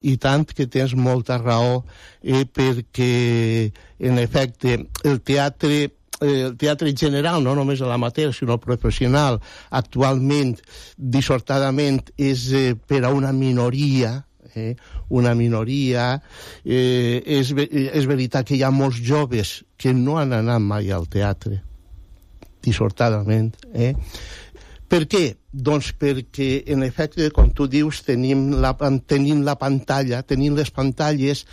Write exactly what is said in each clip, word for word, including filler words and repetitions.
I tant que tens molta raó, eh, perquè, en efecte, el teatre, eh, el teatre general, no només l'amateur, sinó el professional, actualment, dissortadament, és eh, per a una minoria, eh, una minoria. Eh, és, és veritat que hi ha molts joves que no han anat mai al teatre, dissortadament, eh? Per què? Doncs perquè, en efecte, com tu dius, tenim la, tenim la pantalla, tenim les pantalles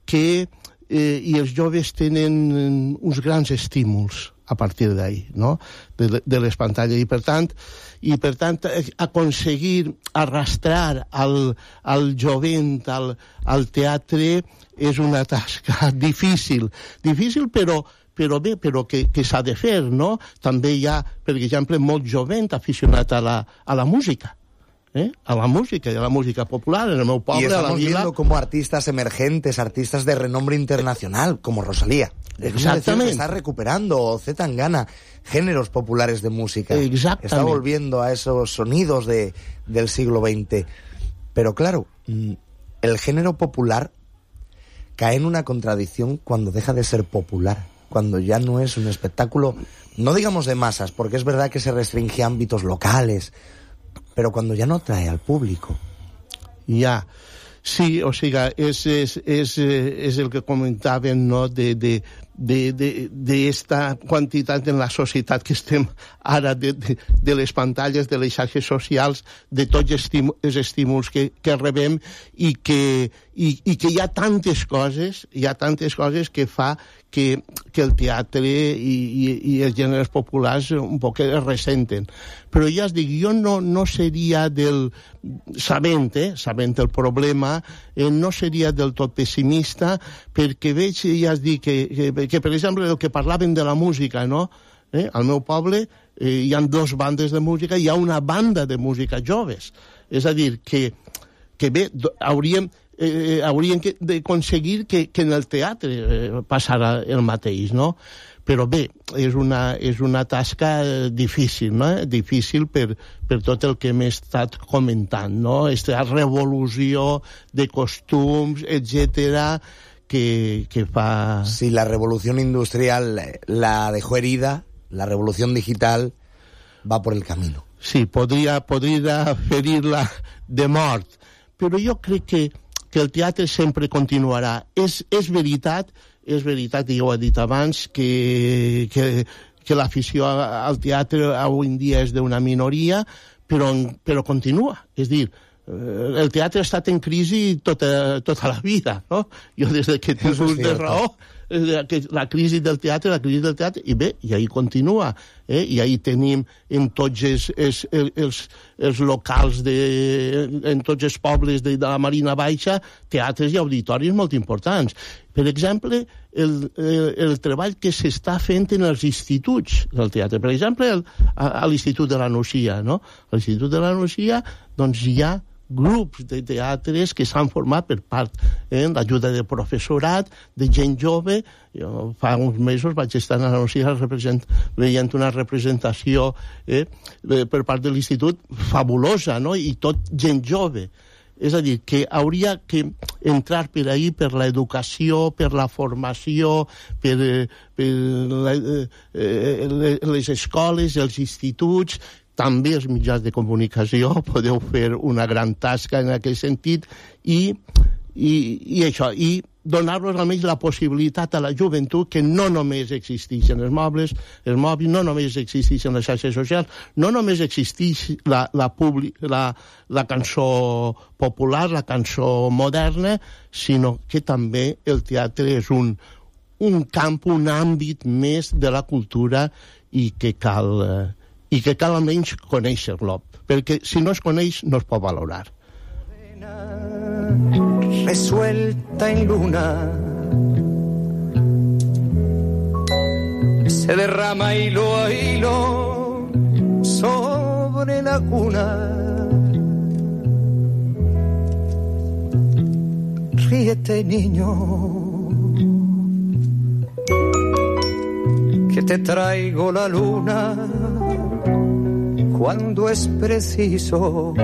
que, eh, i els joves tenen uns grans estímuls a partir d'ahí, no?, de, de les pantalles. I, per tant, i, per tant aconseguir arrastrar al, al jovent al, al teatre és una tasca difícil. Difícil, però però bé, però que, que s'ha de fer, no? També hi ha, per exemple, molt jovent aficionat a la, a la música, ¿eh? A la música, y a la música popular, en el meu poble, y estamos a la vila. viendo como artistas emergentes, artistas de renombre internacional, como Rosalía. Exactamente. Está recuperando, o Z Tangana, géneros populares de música. Exactamente. Está volviendo a esos sonidos de, del siglo veinte. Pero claro, el género popular cae en una contradicción cuando deja de ser popular, cuando ya no es un espectáculo, no digamos de masas, porque es verdad que se restringe a ámbitos locales, pero cuando ya no atrae al público. Ja, sí, o sigui, és, és, és, és el que comentàvem, no?, de, de, de, de, d'esta quantitat en la societat que estem ara, de, de, de les pantalles, de les xarxes socials, de tots estímuls, els estímuls que, que rebem, i que, i, i que hi ha tantes coses, hi ha tantes coses que fa que, que el teatre i, i, i els gèneres populars un poc es ressenten. Però ja es dic, jo no, no seria del... Sabent, eh, sabent el problema, eh, no seria del tot pessimista, perquè veig, ja es dic, que, que, que per exemple, el que parlaven de la música, no? Eh, al meu poble eh, hi ha dos bandes de música, hi ha una banda de música joves. És a dir, que, que bé, hauríem... Eh, haurien que, d'aconseguir que, que en el teatre eh, passara el mateix, no? Però bé, és una, és una tasca eh, difícil, no? Difícil per, per tot el que hem estat comentant, no? Aquesta revolució de costums, etcètera, que, que fa... Si la revolución industrial la dejó herida, la revolución digital va por el camino. Sí, podria, podria ferir-la de mort, però jo crec que que el teatre sempre continuarà. És, és veritat, és veritat, i ja ho he dit abans, que, que, que l'afició al teatre avui en dia és d'una minoria, però, però continua. És dir, el teatre ha estat en crisi tota, tota la vida, no? Jo des que tinc ús de raó, la crisi del teatre, la crisi del teatre, i bé, i ahí continua, eh? I ahí tenim en tots els, els, els, els locals, de, en tots els pobles de, de la Marina Baixa, teatres i auditoris molt importants. Per exemple, el, el, el treball que s'està fent en els instituts del teatre. Per exemple, el, a, a l'Institut de la Nucia, no? A l'Institut de la Nucia, doncs hi ha grups de teatres que s'han format per part eh, l'ajuda de professorat, de gent jove. Jo fa uns mesos vaig estar a la Nucia veient una representació eh, per part de l'institut fabulosa, no? I tot gent jove. És a dir, que hauria que entrar per ahí, per l'educació, per la formació, per, per la, eh, les escoles, els instituts, també els mitjans de comunicació. Podeu fer una gran tasca en aquest sentit, i, i, i això, i donar-los almenys la possibilitat a la joventut que no només existeixen els mobles, els mòbils, no només existeixen les xarxes socials, no només existeix la, la, publi, la, la cançó popular, la cançó moderna, sinó que també el teatre és un, un camp, un àmbit més de la cultura, i que cal... Eh, i que cal almenys conèixer-lo, perquè si no es coneix no es pot valorar. Resuelta en luna se derrama hilo a hilo sobre la cuna. Ríete, niño, que te traigo la luna cuando es preciso.